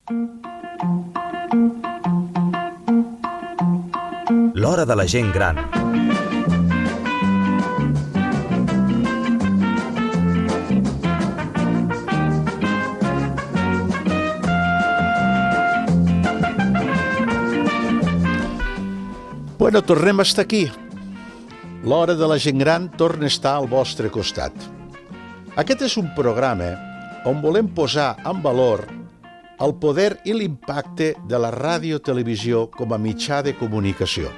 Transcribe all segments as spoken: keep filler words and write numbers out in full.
L'hora de la gent gran. Bueno, tornem a estar aquí. L'hora de la gent gran torna a estar al vostre costat. Aquest és un programa on volem posar en valor el poder i l'impacte de la ràdio-televisió com a mitjà de comunicació,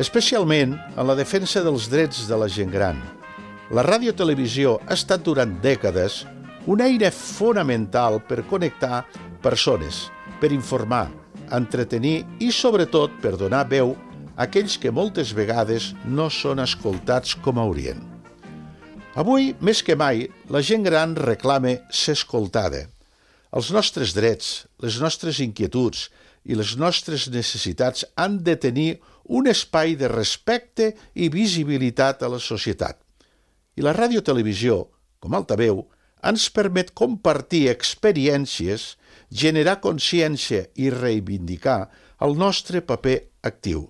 especialment en la defensa dels drets de la gent gran. La ràdio-televisió ha estat durant dècades una eina fonamental per connectar persones, per informar, entretenir i, sobretot, per donar veu a aquells que moltes vegades no són escoltats com haurien. Avui, més que mai, la gent gran reclama ser escoltada. Els nostres drets, les nostres inquietuds i les nostres necessitats han de tenir un espai de respecte i visibilitat a la societat. I la ràdio-televisió, com altaveu, ens permet compartir experiències, generar consciència i reivindicar el nostre paper actiu.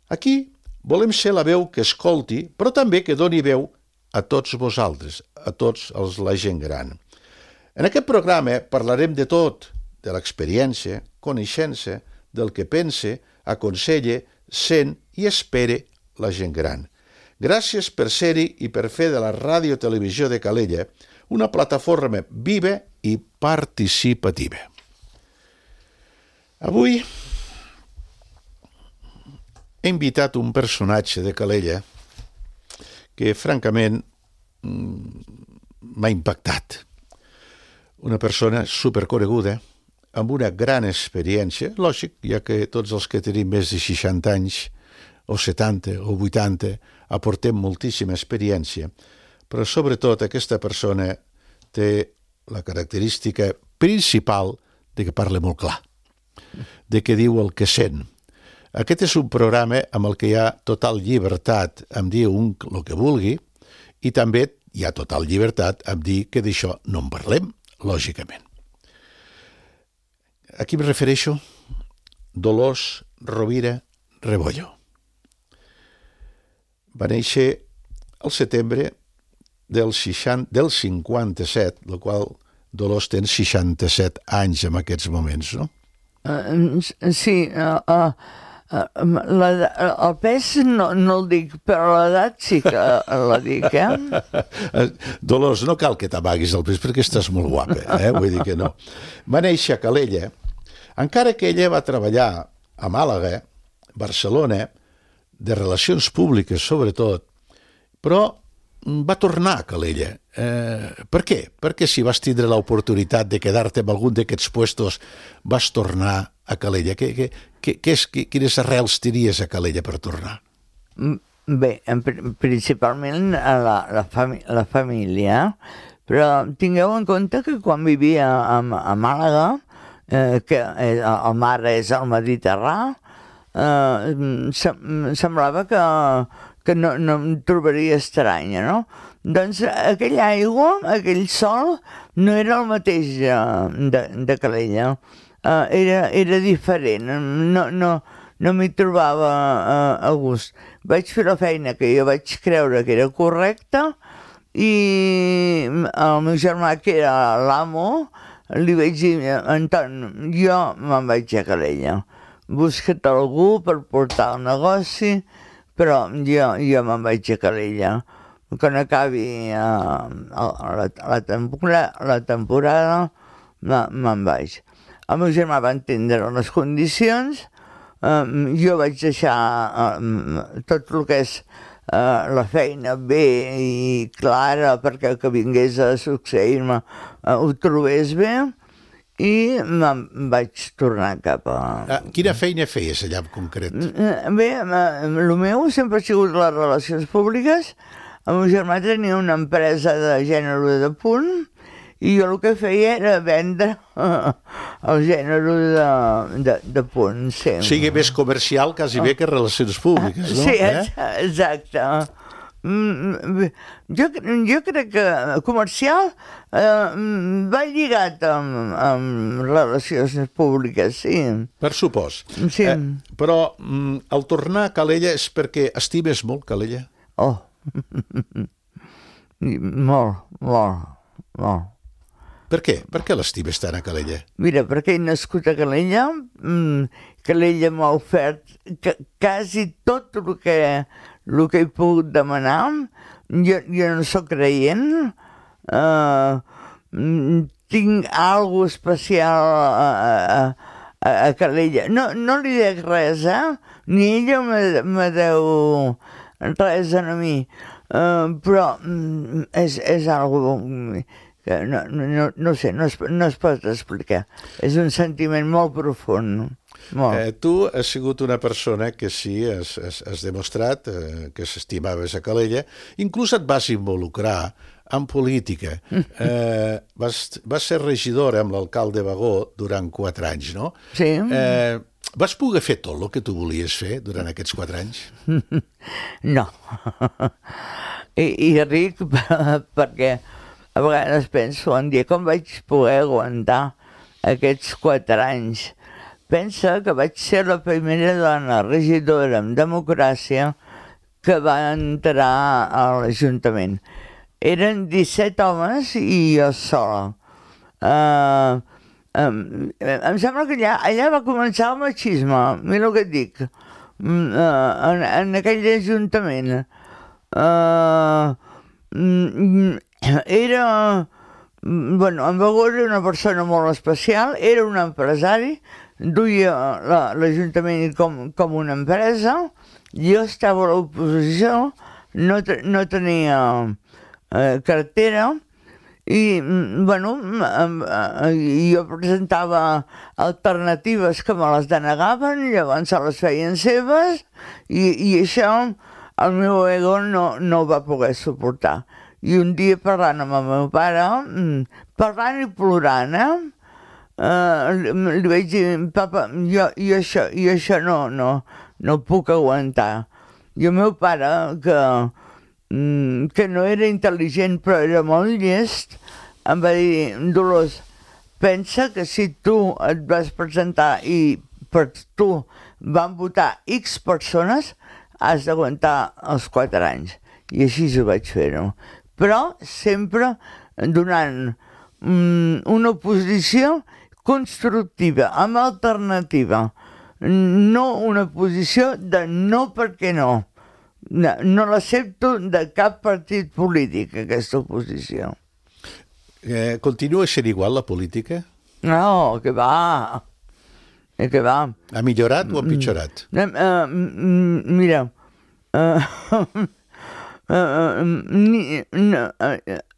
Aquí volem ser la veu que escolti, però també que doni veu a tots vosaltres, a tots els la gent gran. En aquest programa parlarem de tot, de l'experiència, coneixença, del que pense, aconsella, sent i espera la gent gran. Gràcies per ser-hi i per fer de la ràdio-televisió de Calella una plataforma viva i participativa. Avui he invitat un personatge de Calella que, francament, m'ha impactat. Una persona superconeguda, amb una gran experiència, lògic, ja que tots els que tenim més de seixanta anys, o setanta, o vuitanta, aportem moltíssima experiència, però sobretot aquesta persona té la característica principal de que parla molt clar, de que diu el que sent. Aquest és un programa amb el que hi ha total llibertat en dir un el que vulgui i també hi ha total llibertat en dir que d'això no en parlem, lògicament. A qui em refereixo? Dolors Rovira Rebollo. Va néixer al setembre del, seixanta, del cinquanta-set, el qual Dolors té seixanta-set anys en aquests moments, no? Uh, sí, uh, uh, la, el pes no, no el dic, però l'edat sí que la dic, eh? Dolors, no cal que t'amaguis el pes perquè estàs molt guapa, eh? Vull dir que no. Va néixer a Calella, encara que ella va treballar a Màlaga, Barcelona, de relacions públiques sobretot, però va tornar a Calella. Eh, per què? Perquè si vas tindre l'oportunitat de quedar-te en algun d'aquests puestos, vas tornar a Calella. Que, que, que, que és, que, quines arrels tenies a Calella per tornar? Bé, principalment a la, la, fami- la família, però tingueu en compte que quan vivia a, a Màlaga, eh, que el mar és el Mediterrani, eh, sem- semblava que que no, no em trobaria estranya, no? Doncs aquella aigua, aquell sol, no era el mateix de, de Calella. Uh, era, era diferent, no, no, no m'hi trobava uh, a gust. Vaig fer la feina que jo vaig creure que era correcta i el meu germà, que era l'amo, li vaig dir, Anton, jo me'n vaig a Calella. Busca't algú per portar el negoci, però jo, jo me'n vaig a Calella. Quan acabi uh, la, la, temporada, la temporada me'n vaig. El meu germà va entendre les condicions, uh, jo vaig deixar uh, tot el que és uh, la feina bé i clara perquè que vingués a succeir-me uh, ho trobés bé, i me'n vaig tornar cap a... Ah, quina feina feies allà en concret? Bé, el meu sempre ha sigut les relacions públiques. El meu germà tenia una empresa de gènere de punt i jo el que feia era vendre el gènere de, de, de punt. Sí. O sigui, més comercial quasi bé que relacions públiques, no? Sí, exacte. mm, jo, jo crec que comercial eh, va lligat amb, amb relacions públiques, sí. Per supost. Sí. Eh, però mm, al tornar a Calella és perquè estimes molt Calella? Oh, molt, molt, molt. Per què? Per què l'estimes tant a Calella? Mira, perquè he nascut a Calella, mm, Calella m'ha ofert ca quasi tot el que, el que he pogut demanar. Jo, jo no sóc creient, uh, tinc alguna especial a, a, a, a Calella. No, no li dec res, eh? Ni ella me, me deu res a mi, uh, però mm, és, és algo que no, no, no sé, no es, no es pot explicar. És un sentiment molt profund. Molt. Eh, tu has sigut una persona que sí, has, has, has demostrat eh, que s'estimaves a Calella, inclús et vas involucrar en política. Eh, vas, vas ser regidora amb l'alcalde Bagó durant quatre anys, no? Sí. Eh, vas poder fer tot el que tu volies fer durant aquests quatre anys? No. I, i ric perquè a vegades penso un dia com vaig poder aguantar aquests quatre anys. Pensa que vaig ser la primera dona regidora en democràcia que va entrar a l'Ajuntament. Eren disset homes i jo sola. Uh, um, em sembla que allà, allà va començar el machisme, mira el que et dic, uh, en, en aquell Ajuntament. Uh, era... Bueno, en Bagó era una persona molt especial, era un empresari, duia l'Ajuntament com, com una empresa, jo estava a l'oposició, no, te, no tenia eh, cartera, i, bueno, eh, jo presentava alternatives que me les denegaven, llavors se les feien seves, i, i això el meu ego no, no ho va poder suportar. I un dia parlant amb el meu pare, parlant i plorant, eh? Uh, li, li vaig dir, papa, jo, jo això, jo això no, no, no puc aguantar. I el meu pare, que, mm, que no era intel·ligent però era molt llest, em va dir, Dolors, pensa que si tu et vas presentar i per tu van votar X persones, has d'aguantar els quatre anys. I així ho vaig fer, no? Però sempre donant mm, una oposició constructiva, amb alternativa, no una posició de no perquè no. No, no l'accepto de cap partit polític, aquesta oposició. Eh, continua sent igual la política? No, que va, que va. Ha millorat o ha empitjorat? Uh, uh, mira, uh, Uh, uh, ni, no, uh,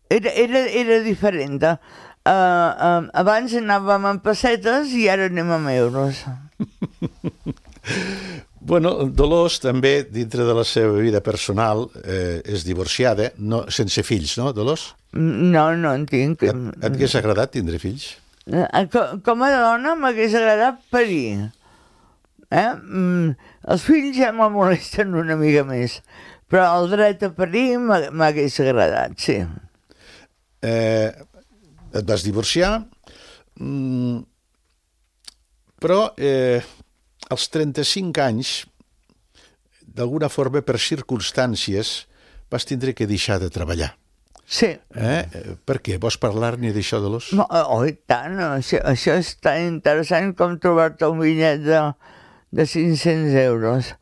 era, era, era diferent. Uh, uh, abans anàvem en pessetes i ara anem amb euros. Bueno, Dolors també, dintre de la seva vida personal, eh, és divorciada, no, sense fills, no, Dolors? No, no en tinc. Et, et hagués agradat tindre fills? Uh, com, com a dona m'hagués agradat parir. Eh? Mm, els fills ja me molesten una mica més. Però el dret a parir m'hagués agradat, sí. Eh, et vas divorciar, mm, però eh, als trenta-cinc anys, d'alguna forma, per circumstàncies, vas tindre que deixar de treballar. Sí. Eh? Per què? Vols parlar-ne d'això, Dolors? No, oh, i tant, això, això és tan interessant com trobar-te un bitllet de, de cinc-cents euros.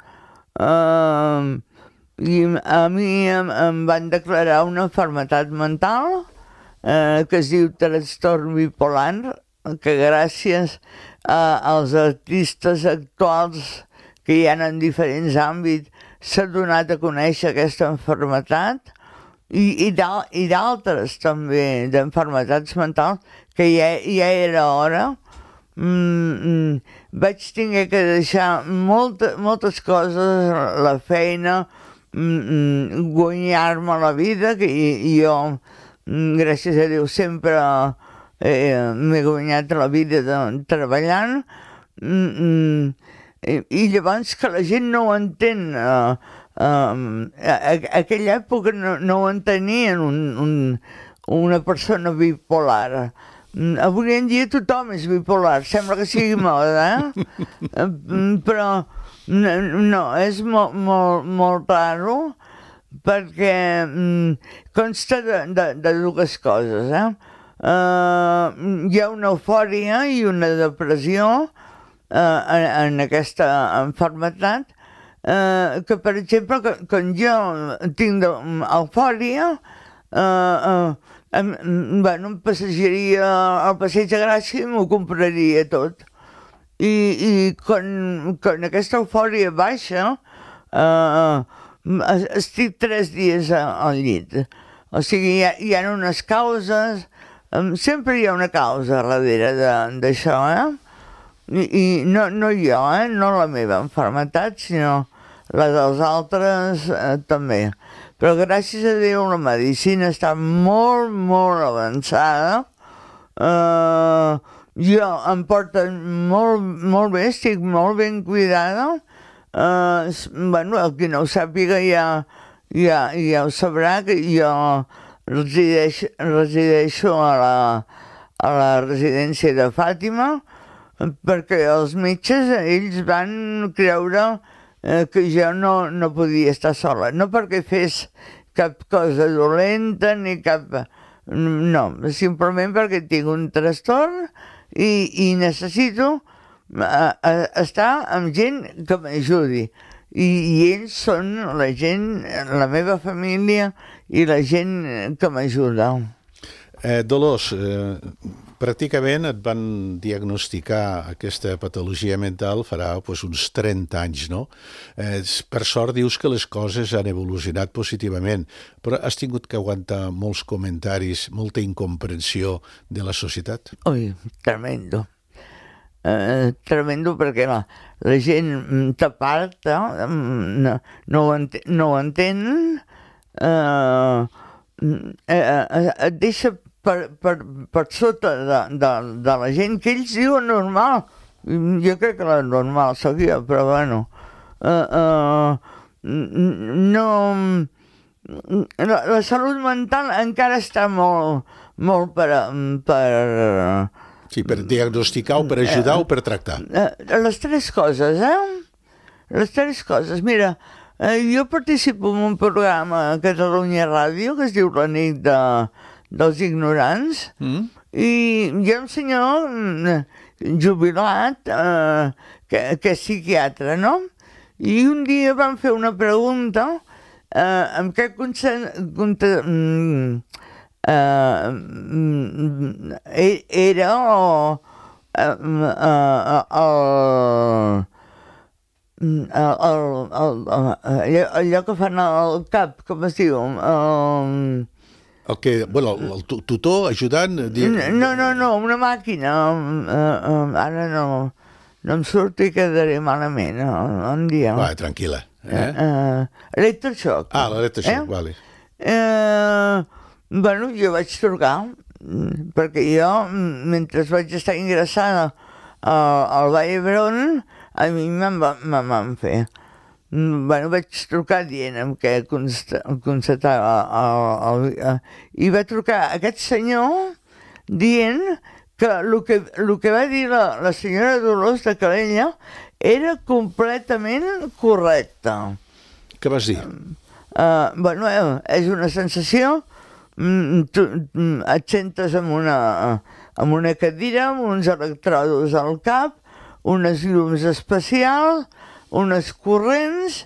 Uh, I a mi em, em van declarar una malaltia mental eh, que es diu trastorn bipolar, que gràcies a, als artistes actuals que hi ha en diferents àmbits s'ha donat a conèixer aquesta malaltia i, i d'altres també d'enfermetats mentals que ja, ja era hora. Mm, mm, vaig tenir que deixar molta, moltes coses, la feina, mm, guanyar-me la vida, que i, jo, gràcies a Déu, sempre eh, m'he guanyat la vida de, treballant, mm, mm, i, i llavors que la gent no ho entén, eh, Uh, a, a aquella època no, no ho entenien un, un, una persona bipolar. Avui en dia tothom és bipolar, sembla que sigui moda, eh? Però no, no és molt, molt, molt raro, perquè mm, consta de, de, de dues coses, eh? Uh, hi ha una eufòria i una depressió uh, en, en aquesta malaltia, uh, que per exemple, quan jo tinc eufòria, uh, uh, em, bueno, em passejaria al Passeig de Gràcia i m'ho compraria tot. I, i quan, quan aquesta eufòria baixa, uh, estic tres dies al llit. O sigui, hi ha, hi ha unes causes. Sempre hi ha una causa darrere d'això, eh? I, i no, no jo, eh? No la meva malaltia, sinó la dels altres eh, també. Però gràcies a Déu la medicina està molt, molt avançada. Uh, jo em porta molt, molt bé, estic molt ben cuidada. Uh, bueno, el que no ho sàpiga ja, ja, ja ho sabrà, que jo Resideixo, resideixo a la, a la residència de Fàtima, perquè els metges, ells van creure eh, que jo no, no podia estar sola. No perquè fes cap cosa dolenta ni cap... No, simplement perquè tinc un trastorn i, i necessito eh, estar amb gent que m'ajudi. I, i ells són la gent, la meva família i la gent que m'ajuda. Eh, Dolors, eh, pràcticament et van diagnosticar aquesta patologia mental farà pues, uns trenta anys, no? Eh, per sort dius que les coses han evolucionat positivament, però has tingut que aguantar molts comentaris, molta incomprensió de la societat? Ui, tremendo. Uh, tremendo perquè la, la gent t'aparta, no, no, ho enten, no ho entén, uh, uh, et deixa per, per, per sota de, de, de la gent que ells diuen normal. Jo crec que la normal sóc jo, però bueno, uh, uh, no... La, la salut mental encara està molt, molt per... per Sí, per diagnosticar o per ajudar o per tractar. Les tres coses, eh? Les tres coses. Mira, jo participo en un programa a Catalunya Ràdio que es diu La nit de, dels ignorants, mm. i hi ha un senyor jubilat eh, que, que és psiquiatre, no? I un dia van fer una pregunta eh, amb què conte... Uh, era uh, uh, uh, uh, allò que fan al cap, com es diu? Uh, el que, bueno, el tutor, ajudant... No, no, no, una màquina. Uh, uh, ara no, no em surt i quedaré malament. No, un dia. Va, tranquil·la. Eh? Uh, electroshock. Ah, l'electroshock, eh? Vale. Uh, Bueno, jo vaig trucar, perquè jo, mentre vaig estar ingressada al, al Vall d'Hebron, a mi me'n van fer. Bueno, vaig trucar dient amb què constatava el, el, el, i va trucar aquest senyor dient que el que, el que va dir la, la senyora Dolors de Calella era completament correcte. Què vas dir? Uh, bueno, és una sensació... Mm, tu, mm, et sentes amb una, amb una cadira, amb uns electrodos al cap, unes llums especials, unes corrents,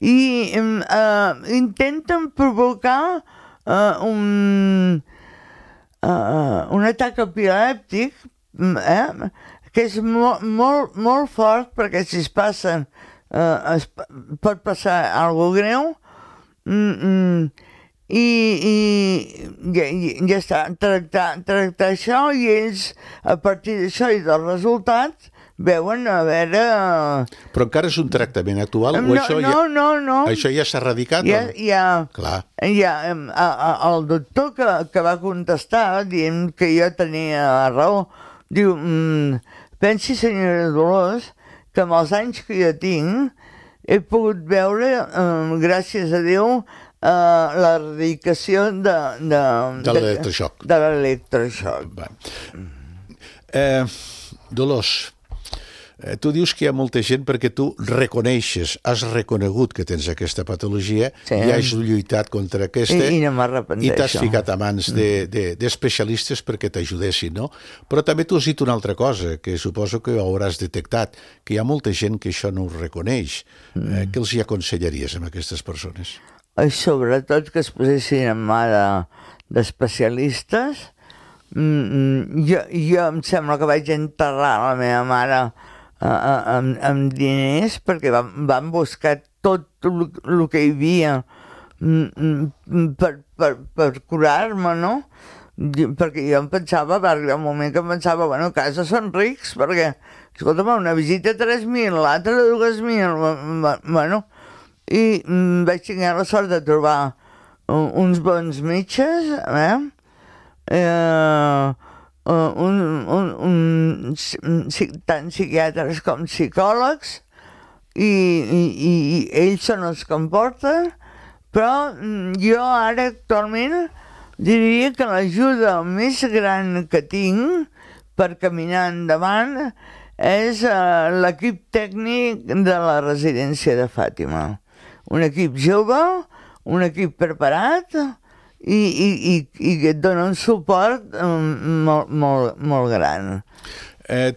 i uh, intenten provocar uh, un, uh, un atac epilèptic, eh, que és molt, molt, molt fort, perquè si es passen, uh, es pot passar alguna cosa greu, mm, mm, i, i ja, ja està, tractar, tractar això, i ells, a partir d'això i dels resultats, veuen a veure... Però encara és un tractament actual? No, o això no, ja, no, no. Això ja s'ha erradicat? Ja, o no? ja, Clar. Ja, a, a, el doctor que, que va contestar, dient que jo tenia raó, diu, mm, pensi, senyora Dolors, que amb els anys que jo tinc, he pogut veure, eh, gràcies a Déu, eh, l'erradicació de, de, De l'electroxoc. De l'electroxoc. Va. Eh, Dolors, eh, tu dius que hi ha molta gent perquè tu reconeixes, has reconegut que tens aquesta patologia, Sí. i has lluitat contra aquesta I, i no m'arrepenteixo. i t'has ficat a mans de- de- d'especialistes perquè t'ajudessin, no? Però també tu has dit una altra cosa, que suposo que hauràs detectat, que hi ha molta gent que això no ho reconeix. Eh, què els hi aconsellaries a aquestes persones? I sobretot que es posessin en mà de- d'especialistes. Mm, jo, jo em sembla que vaig enterrar la meva mare eh, eh, amb, amb diners perquè van, van buscar tot el que hi havia mm, mm, per, per, per curar-me, no? Jo- perquè jo em pensava, va arribar un moment que em pensava, bueno, a casa són rics, perquè, escolta'm, una visita tres mil, l'altra dos mil, bueno, i mm, vaig tenir la sort de trobar uh, uns bons metges, eh? Eh, uh, un, un, un, un, tant psiquiatres com psicòlegs, i, i, i, i ells són els que em porten, però mm, jo ara actualment diria que l'ajuda més gran que tinc per caminar endavant és uh, l'equip tècnic de la residència de Fàtima. Un equip jove, un equip preparat i, i, i, i que et dona un suport um, molt, molt, molt gran. Eh,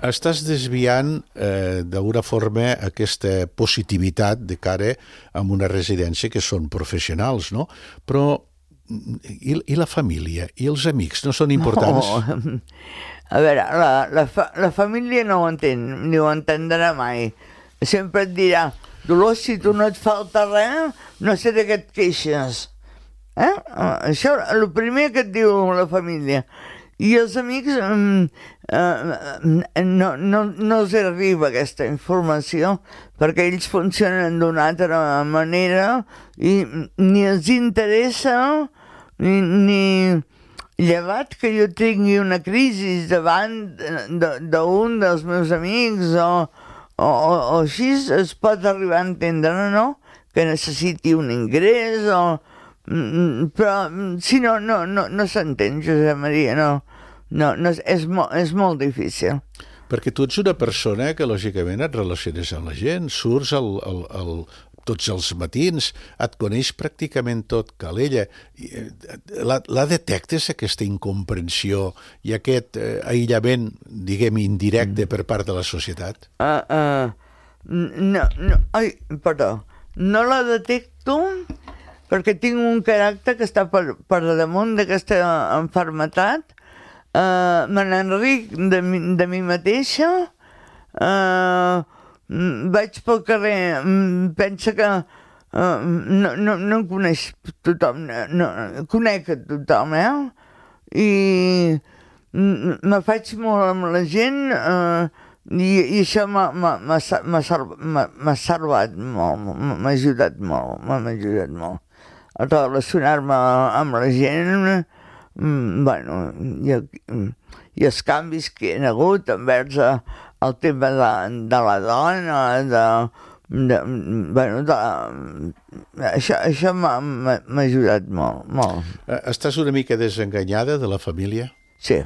estàs desviant eh, d'alguna forma aquesta positivitat de cara a una residència que són professionals, no? Però i, i la família i els amics no són importants? No. A veure, la, la, fa, la família no ho entén, ni ho entendrà mai. Sempre et dirà, Dolors, si tu no et falta res, no sé de què et queixes. Eh? Això és el primer que et diu la família. I els amics mm, eh, no, no, no els arriba aquesta informació perquè ells funcionen d'una altra manera i ni els interessa ni, ni llevat que jo tingui una crisi davant d'un dels meus amics o, o, o, o així es pot arribar a entendre, no? Que necessiti un ingrés o... Però si no, no, no, no s'entén, Josep Maria, no. No, no és, és, mo, és molt difícil. Perquè tu ets una persona que, lògicament, et relaciones amb la gent, surts al, al, al, tots els matins, et coneix pràcticament tot Calella. La, la detectes, aquesta incomprensió i aquest eh, aïllament, diguem, indirecte per part de la societat? Uh, uh, no, no, ai, perdó, no la detecto perquè tinc un caràcter que està per, per damunt d'aquesta enfermetat. Uh, me n'enric de, mi, de mi mateixa, uh, vaig pel carrer, pensa que uh, no, no, no em coneix tothom, no, conec a tothom, eh? I me faig molt amb la gent, uh, i, i això m'ha salvat molt, m'ha ajudat molt, m'ha ajudat molt. A relacionar-me amb la gent, bueno, i, i els canvis que hi ha hagut envers el tema de, de la dona, de, de, bueno, de, això, això m'ha ajudat molt, molt. Estàs una mica desenganyada de la família? Sí.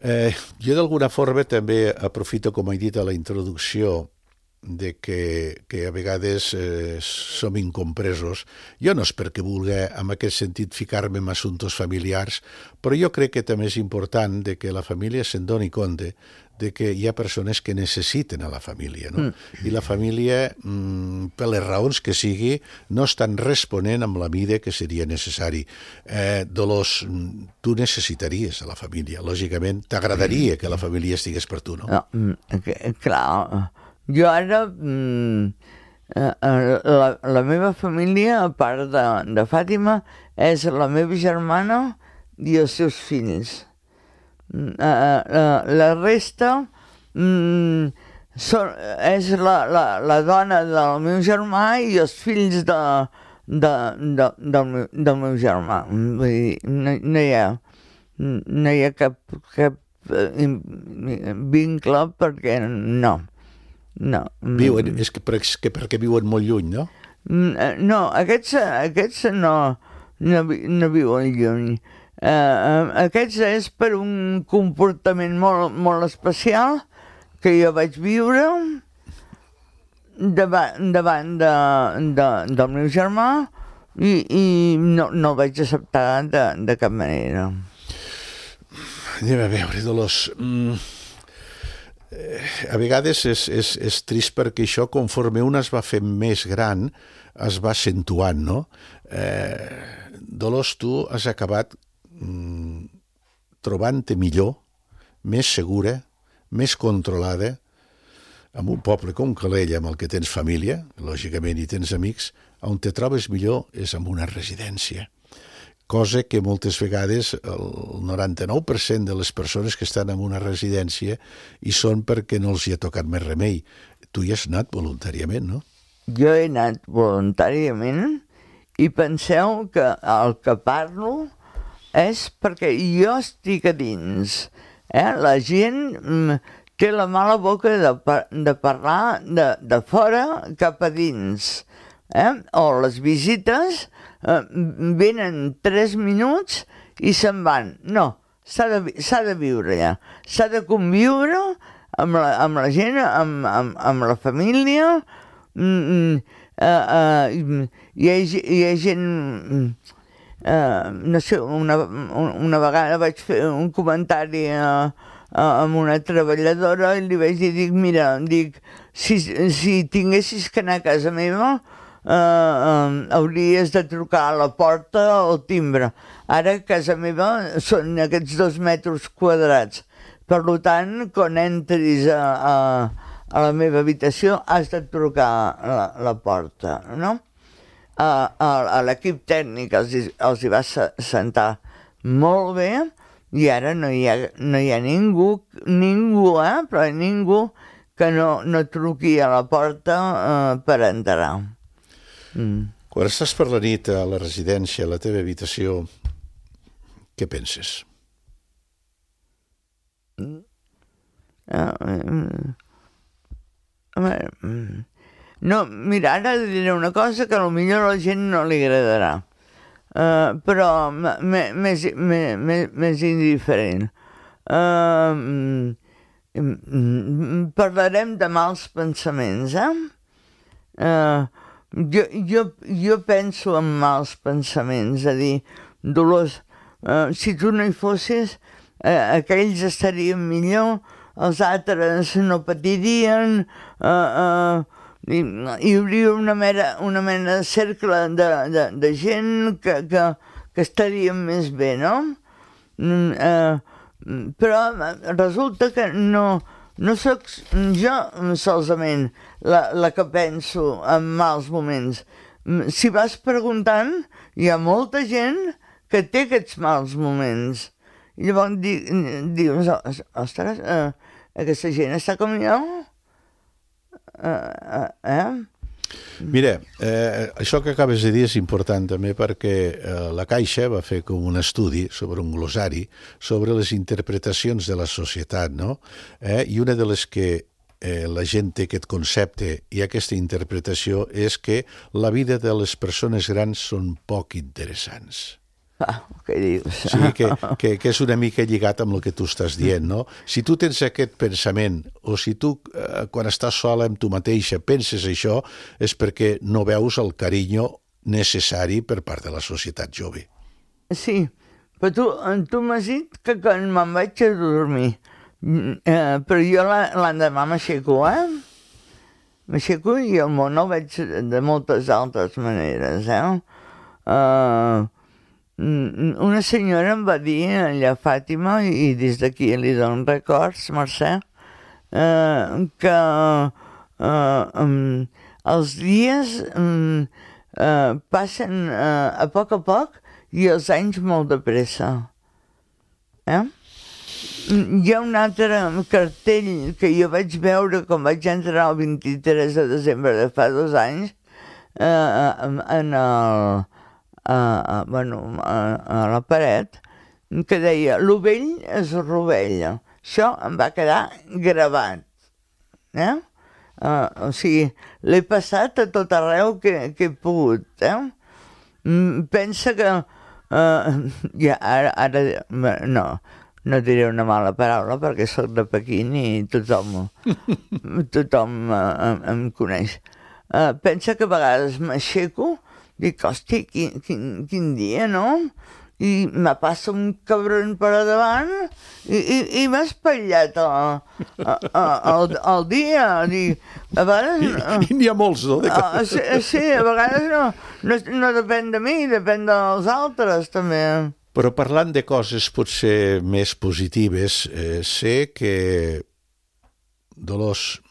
Eh, jo d'alguna forma també aprofito, com he dit a la introducció, de que, que a vegades eh, som incompresos. Jo no és perquè vulgui, en aquest sentit, ficar-me en assumptes familiars, però jo crec que també és important de que la família se'n doni compte de que hi ha persones que necessiten a la família, no? Mm. I la família, mm, per les raons que sigui, no estan responent amb la mida que seria necessari. Eh, Dolors, tu necessitaries a la família, lògicament. T'agradaria que la família estigués per tu, no? No, clar. Jo ara, la, la meva família, a part de, de Fàtima, és la meva germana i els seus fills. La, la resta mm, són, és la, la, la dona del meu germà i els fills de, de, de, del, meu, del meu germà. Vull dir, no, no hi ha, no hi ha cap, cap vincle perquè no. No. Viuen, és que, per, que perquè viuen molt lluny, no? No, aquests, aquests no, no, no viuen lluny. Uh, aquests és per un comportament molt, molt especial que jo vaig viure davant, davant de, de, del meu germà i, i no, no el vaig acceptar de, de cap manera. Anem a veure, Dolors. Mm, a vegades és, és, és trist perquè això, conforme un es va fer més gran, es va accentuant, no? Eh, Dolors, tu has acabat mm, trobant-te millor, més segura, més controlada, en un poble com Calella, amb el que tens família, lògicament hi tens amics, on te trobes millor és en una residència. Cosa que moltes vegades el noranta-nou per cent de les persones que estan en una residència hi són perquè no els hi ha tocat més remei. Tu hi has anat voluntàriament, no? Jo he anat voluntàriament i penseu que el que parlo és perquè jo estic a dins. Eh? La gent mm, té la mala boca de, de parlar de, de fora cap a dins. Eh? O les visites eh, venen tres minuts i se'n van. No, s'ha de, s'ha de viure ja. S'ha de conviure amb la, amb la gent, amb, amb, amb la família. Mm, uh, uh, hi, ha, hi ha gent... Uh, no sé, una, una vegada vaig fer un comentari uh, uh, amb una treballadora i li vaig dir, dic, mira, dic, si, si tinguessis que anar a casa meva, uh, uh, hauries de trucar a la porta o al timbre. Ara a casa meva són aquests dos metres quadrats. Per tant, quan entris a, a, a la meva habitació has de trucar a la, la porta, no? A, a, a l'equip tècnic els, els hi va sentar molt bé i ara no hi ha, no hi ha ningú, ningú, eh, però ningú que no, no truqui a la porta eh, per entrar. Mm. Quan estàs per la nit a la residència, a la teva habitació, què penses? Mm. Uh, mm. Mm. No, mira, ara diré una cosa que potser a la gent no li agradarà, uh, però més, més, més indiferent. Uh, parlarem de mals pensaments, eh? Uh, jo, jo, jo penso en mals pensaments, a dir, Dolors, uh, si tu no hi fossis, uh, aquells estarien millor, els altres no patirien, uh, uh, hi, hi hauria una mena, una mena de cercle de, de, de gent que, que, que estarien més bé, no? Mm, eh, però resulta que no, no sóc jo solament la, la que penso en mals moments. Si vas preguntant, hi ha molta gent que té aquests mals moments. I llavors di, dius, ostres, eh, aquesta gent està com jo? Uh, uh, eh? Mira, eh, això que acabes de dir és important també perquè eh, la Caixa va fer com un estudi sobre un glossari sobre les interpretacions de la societat, no? Eh? I una de les que eh, la gent té aquest concepte i aquesta interpretació és que la vida de les persones grans són poc interessants. Ah, què dius? Sí, que, que, que és una mica lligat amb el que tu estàs dient, no? Si tu tens aquest pensament, o si tu, eh, quan estàs sola amb tu mateixa, penses això, és perquè no veus el carinyo necessari per part de la societat jove. Sí, però tu, tu m'has dit que quan me'n vaig a dormir, eh, però jo l'endemà m'aixeco, eh? M'aixeco i el món el veig de moltes altres maneres, eh? Uh, Una senyora em va dir, allà a Fàtima, i des d'aquí li dono records, Mercè, eh, que eh, um, els dies um, eh, passen eh, a poc a poc i els anys molt de pressa. Eh? Hi ha un altre cartell que jo vaig veure quan vaig entrar el vint-i-tres de desembre de fa dos anys eh, en el... Uh, uh, bueno, uh, a la paret, que deia, lo vell es rovella, això em va quedar gravat. Eh? Uh, o sigui, l'he passat a tot arreu que, que he pogut. Eh? Mm, pensa que... Uh, ja, ara, ara... No, no diré una mala paraula perquè soc de Pequín i tothom, tothom uh, em, em coneix. Uh, pensa que a vegades m'aixeco, dic, hosti, quin, quin, quin dia, no? I me passa un cabron per a davant i, i, i m'ha espatllat el, el, el dia. Dic, a vegades... I n'hi ha molts, no? De uh, sí, sí, a vegades no, no, no depèn de mi, depèn dels altres, també. Però parlant de coses potser més positives, eh, sé que, Dolors,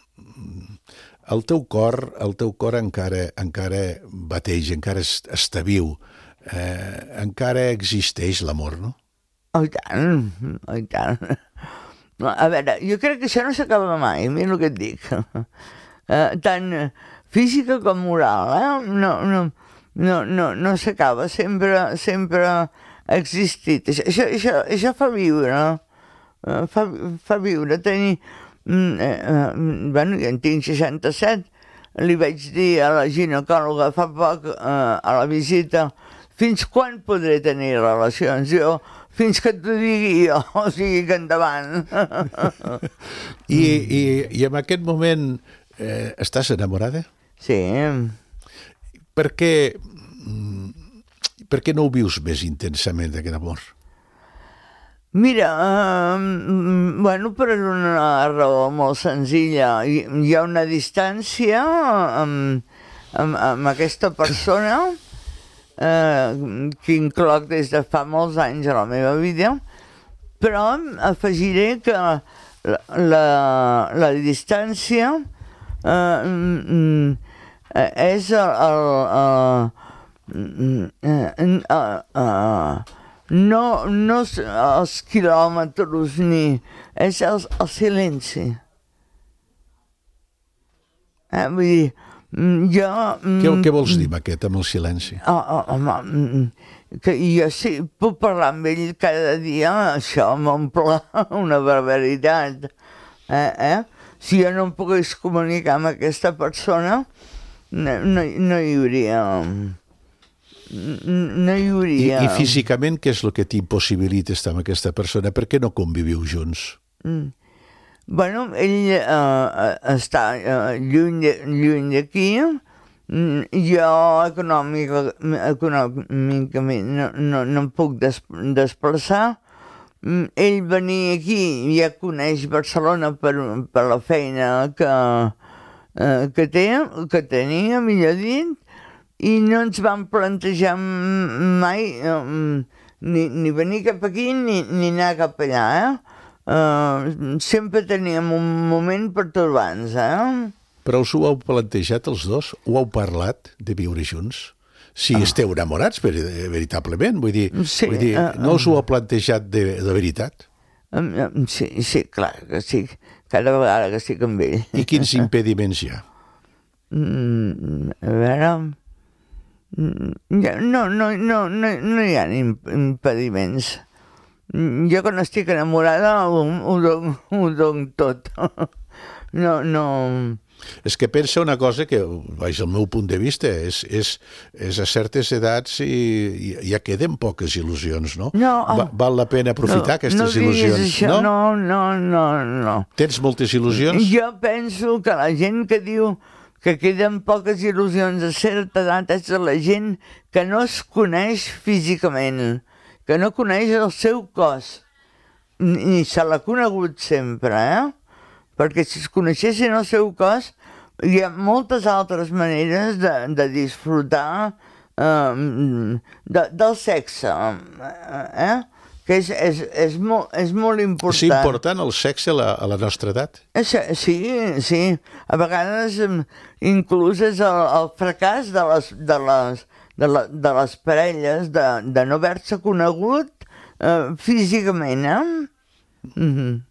el teu cor, el teu cor encara, encara bateix, encara està viu, eh, encara existeix l'amor, no? Oh, i tant, oh, i tant. No, a veure, jo crec que això no s'acaba mai, mira el que et dic. Eh, tant física com moral, eh? No, no, no, no, no s'acaba, sempre, sempre ha existit. Això, això, això, això fa viure, uh, fa, fa viure, tenir... Uh, uh, bueno, jo en tinc seixanta-set, li vaig dir a la ginecòloga fa poc uh, a la visita, fins quan podré tenir relacions? Jo, fins que t'ho digui jo, o sigui que endavant. I, i, I en aquest moment eh, estàs enamorada? Sí. Per què... Per què no ho vius més intensament, aquest amor? Mira, uh, bueno, per una raó molt senzilla. Hi, hi ha una distància amb, amb, amb aquesta persona uh, que incloc des de fa molts anys a la meva vida, però afegiré que la, la, la distància uh, és el... el, el Uh, uh, uh, no, no els quilòmetres ni... és el, el silenci. Eh, vull dir, jo... Què, què vols dir amb aquest, amb el silenci? Oh, oh, home, que jo sí, puc parlar amb ell cada dia, això m'omple una barbaritat. Eh, eh? Si jo no em pogués comunicar amb aquesta persona, no, no, no hi hauria... no hi hauria... I, I físicament què és el que t'impossibilita estar amb aquesta persona? Per què no conviviu junts? Mm. Bueno, ell uh, està uh, lluny, lluny d'aquí, jo econòmic, econòmicament no, no, no em puc des, desplaçar. Ell venia aquí, ja coneix Barcelona per, per la feina que, uh, que té, que tenia, millor dit, i no ens vam plantejar mai um, ni, ni venir cap aquí ni, ni anar cap allà. Eh? Uh, sempre teníem un moment per trobar-nos. Eh? Però us ho heu plantejat els dos? Ho heu parlat de viure junts? Si oh. esteu enamorats, ver veritablement. Vull dir, sí, vull dir uh, no us ho heu plantejat de, de veritat? Um, sí, sí, clar que sí. Cada vegada que estic amb ell. I quins impediments hi ha? Mm, a veure... No, no, no, no, no hi ha impediments. Jo quan estic enamorada ho, ho, dono, ho dono tot. No, no... És que pensa una cosa que, vaja, el meu punt de vista, és, és, és a certes edats i ja queden poques il·lusions, no? No. Va, val la pena aprofitar no, aquestes no il·lusions, això, no? No, no, no, no. Tens moltes il·lusions? Jo penso que la gent que diu que queden poques il·lusions a certa edat és la gent que no es coneix físicament, que no coneix el seu cos, ni se l'ha conegut sempre, eh? Perquè si es coneixessin el seu cos, hi ha moltes altres maneres de, de disfrutar eh, de, del sexe, eh? Que és, és, és, molt, és molt important. És important el sexe a la, a la nostra edat? Sí, sí. A vegades inclús és el, el fracàs de les, de les, de la, de les parelles de, de no haver-se conegut eh, físicament, eh? Mm-hmm.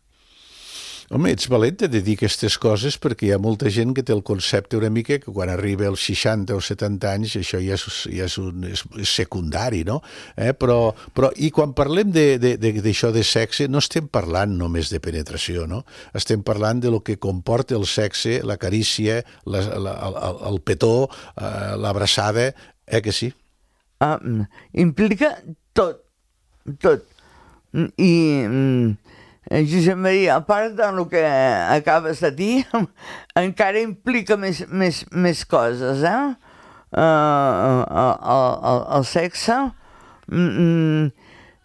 Home, ets valenta de dir aquestes coses perquè hi ha molta gent que té el concepte una mica que quan arriba als seixanta o setanta anys això ja és, ja és, un, és, és secundari, no? Eh? Però, però, i quan parlem d'això de, de, de, de sexe no estem parlant només de penetració, no? Estem parlant de lo que comporta el sexe, la carícia, la, la, el, el petó, eh, l'abraçada, eh que sí? Um, implica tot, tot. I um, Josep Maria, a part del que acabes de dir, encara implica més, més, més coses, eh? Uh, el, el, el sexe, um,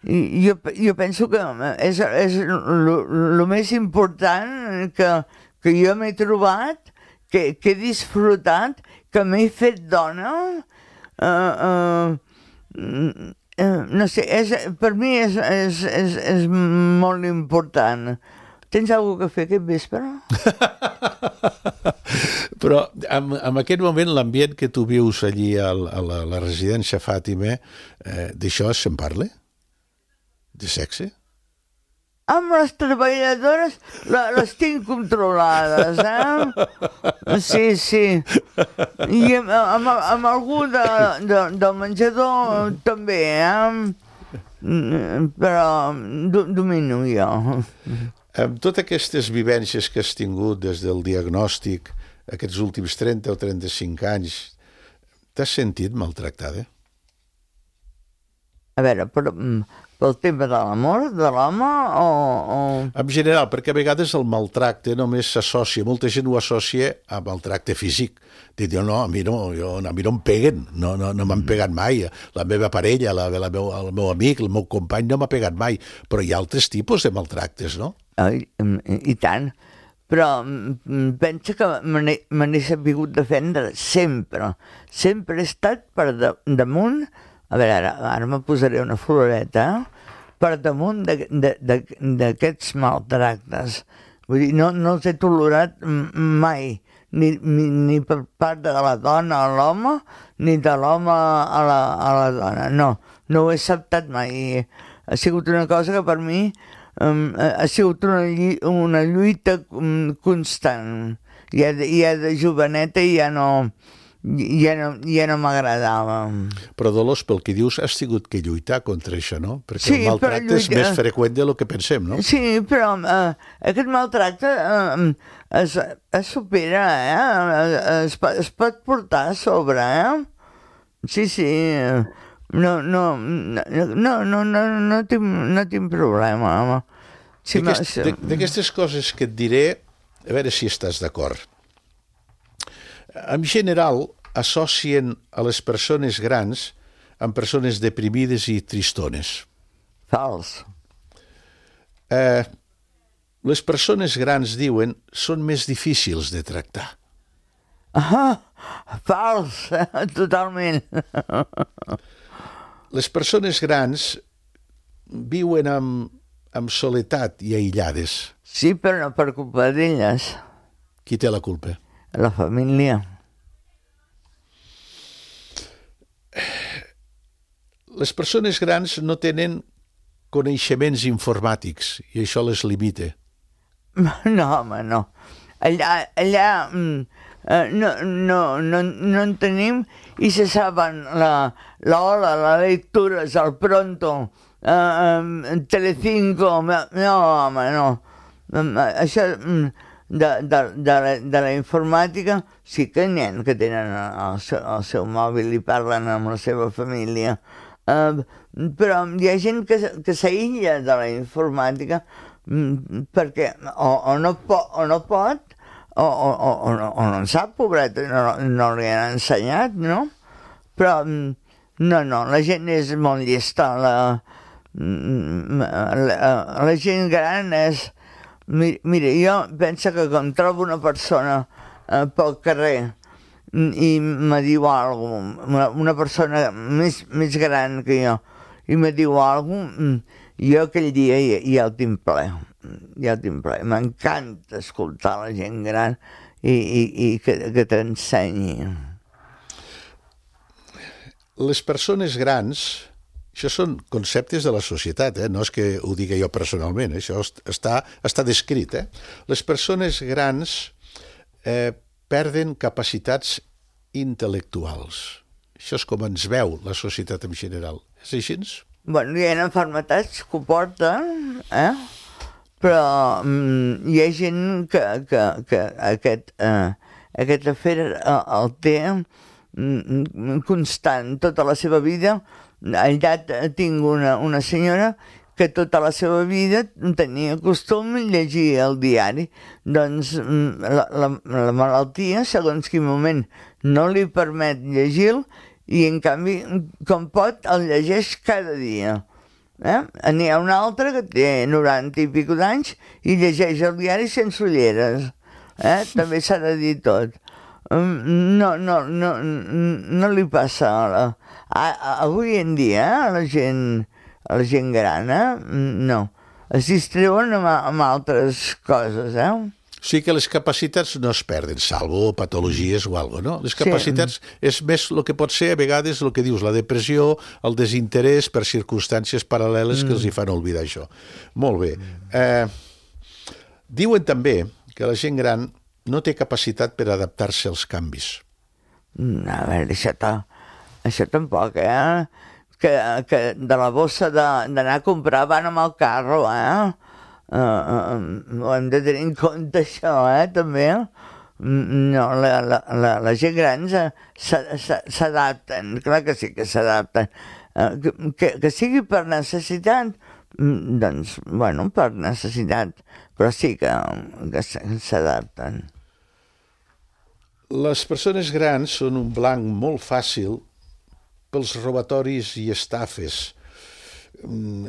jo, jo penso que és, és el més important que, que jo m'he trobat, que, que he disfrutat, que m'he fet dona. Uh, uh, Uh, no sé, és, per mi és, és, és, és molt important. Tens alguna cosa a fer aquest vespre? Però en, en aquest moment l'ambient que tu vius allí a la, a la, la residència Fàtima, eh, d'això se'n parla? De sexe? Amb les treballadores les tinc controlades, eh? Sí, sí. I amb, amb, amb algú de, de, del menjador també, eh? Però domino jo. Amb totes aquestes vivències que has tingut des del diagnòstic, aquests últims trenta o trenta-cinc anys, t'has sentit maltractada? A veure, però... pel tema de l'amor, de l'home, o, o... En general, perquè a vegades el maltracte només s'associa, molta gent ho associa a maltracte físic. Diu, no, a mi no, jo, a mi no em peguen, no, no, no m'han pegat mai. La meva parella, la, la meu, el meu amic, el meu company no m'ha pegat mai. Però hi ha altres tipus de maltractes, no? Ai, i tant. Però pensa que me n'he sabut defendre sempre. Sempre he estat per de, damunt. A veure, ara, ara me posaré una floreta, eh? Per damunt d'aquests maltractes. Vull dir, no, no els he tolerat mai, ni, ni, ni per part de la dona a l'home, ni de l'home a, la, a la dona. No, no ho he acceptat mai. Ha sigut una cosa que per mi um, ha sigut una, una lluita constant. Ja de, ja de joveneta ja no... ja no, ja no m'agradava. Però, Dolors, pel que dius, has tingut que lluitar contra això, no? Perquè sí, el maltracte és més freqüent del que pensem, no? Sí, però uh, aquest maltracte uh, es, es supera, eh? Es, es pot portar a sobre, eh? Sí, sí. No, no, no, no, no, no, no, tinc, no tinc problema, home. Si d'aquestes coses que et diré, a veure si estàs d'acord. En general, associen a les persones grans amb persones deprimides i tristones. Fals. Eh, les persones grans, diuen, són més difícils de tractar. Ah, fals, totalment. Les persones grans viuen amb, amb soledat i aïllades. Sí, però no per culpa d'elles. Qui té la culpa? La família. Les persones grans no tenen coneixements informàtics i això les limita. No, home, no. Allà, allà no, no, no, no en tenim i se saben la, l'hora, les lectures, el pronto, eh, Telecinco, no, home, no. Això... De, de, de, la, de la informàtica sí que n'hi ha que tenen el seu, el seu mòbil i parlen amb la seva família, uh, però hi ha gent que, que s'aïlla de la informàtica perquè o, o, no, po, o no pot o, o, o, o, no, o no en sap, pobret, no, no li han ensenyat, no? Però no, no, la gent és molt llesta, la, la, la gent gran és... Mira, jo penso que quan trobo una persona eh, pel carrer i me diu alguna cosa, una, una persona més, més gran que jo, i me diu alguna cosa, jo aquell dia ja, ja el tinc ple, ja el tinc ple. M'encanta escoltar la gent gran i, i, i que, que t'ensenyi. Les persones grans Això són conceptes de la societat, eh? No és que ho digui jo personalment, això està, està descrit. Eh? Les persones grans eh, perden capacitats intel·lectuals. Això és com ens veu la societat en general. És així? Bueno, hi ha malalties que ho porten, eh? Però mm, hi ha gent que, que, que aquest, eh, aquest afer eh, el té mm, constant tota la seva vida. Allà tinc una, una senyora que tota la seva vida tenia costum de llegir el diari. Doncs la, la, la malaltia, segons quin moment, no li permet llegir-lo i, en canvi, com pot, el llegeix cada dia. Eh? N'hi ha una altra que té noranta i pico d'anys i llegeix el diari sense ulleres. Eh? També s'ha de dir tot. No, no, no, no li passa a la... A, a, avui en dia, a la gent, a la gent gran, eh? No. Es distreuen amb, amb altres coses, eh? O sigui que les capacitats no es perden, salvo patologies o alguna cosa, no? Les capacitats sí. És més el que pot ser, a vegades, el que dius, la depressió, el desinterès per circumstàncies paral·leles mm. que els hi fan oblidar això. Molt bé. Eh, diuen també que la gent gran no té capacitat per adaptar-se als canvis. A veure, això, això tampoc, eh? Que, que de la bossa d'anar a comprar van amb el carro, eh? Uh, uh, hem de tenir en compte això, eh, també. No, la, la, la, la gent gran s'adapten, clar que sí que s'adapten. Uh, que, que sigui per necessitat, doncs, bueno, per necessitat, però sí que, que s'adapten. Les persones grans són un blanc molt fàcil pels robatoris i estafes.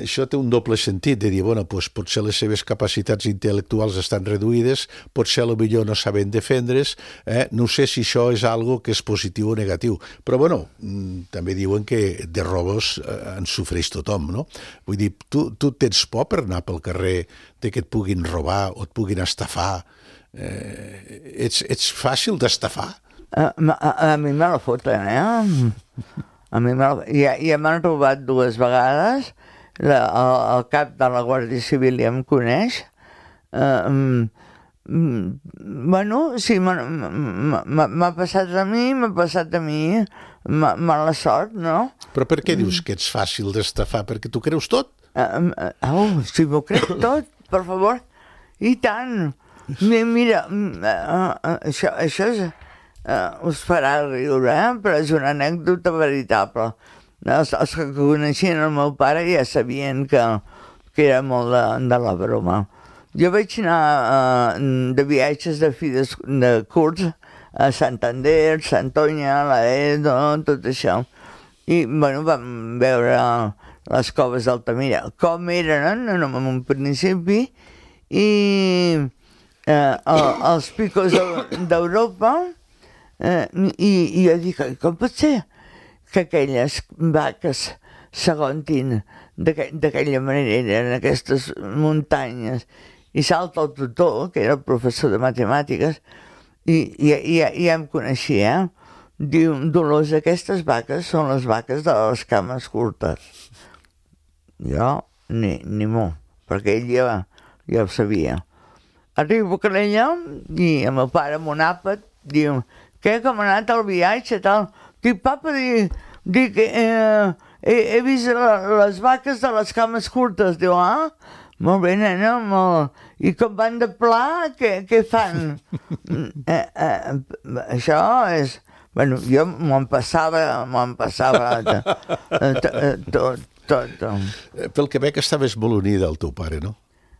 Això té un doble sentit, de dir, bueno, doncs potser les seves capacitats intel·lectuals estan reduïdes, potser potser no saben defendre's, eh? No sé si això és algo que és positiu o negatiu, però bueno, també diuen que de robos eh, en sofreix tothom, no? Vull dir, tu, tu tens por per anar pel carrer de que et puguin robar o et puguin estafar? Eh, ets, ets fàcil d'estafar? A, a, a mi me la foten, eh? A mi me la... Ja, ja m'han robat dues vegades. La, el, el cap de la Guàrdia Civil ja em coneix. Uh, um, bueno, sí, m'ha passat a mi, m'ha passat a mi, mala sort, no? Però per què dius que ets fàcil d'estafar? Perquè tu creus tot? Uh, uh, oh, si m'ho crec tot, per favor. I tant. Mira, uh, uh, això, això és, uh, us farà riure, eh? Però és una anècdota veritable. Els, els que coneixien el meu pare ja sabien que, que era molt de, de la broma. Jo vaig anar uh, de viatges de fi de, de curs a Santander, Santoña, la Edo, tot això. I, bueno, vam veure les coves d'Altamira, com eren en un principi, i eh, els picos d'Europa, eh, i, i jo dic, com pot ser que aquelles vaques s'agontin d'aquella manera en aquestes muntanyes? I salta el tutor, que era el professor de matemàtiques, i, i, i, i ja em coneixia, eh? Diu, Dolors, aquestes vaques són les vaques de les cames curtes. Jo, ni, ni mo, perquè ell ja, ja ho sabia. Arribo a Calella i el meu pare amb un àpat diu, què, com ha anat el viatge, tal? Dic, papa, dic, dic eh, he, he vist la, les vaques de les cames curtes. Diu, ah, molt bé, nena, molt... I com van de pla, què, què fan? eh, eh, això és... Bueno, jo m'ho passava, m'ho passava tot, tot. Pel que veig estaves molt unida al teu pare, no?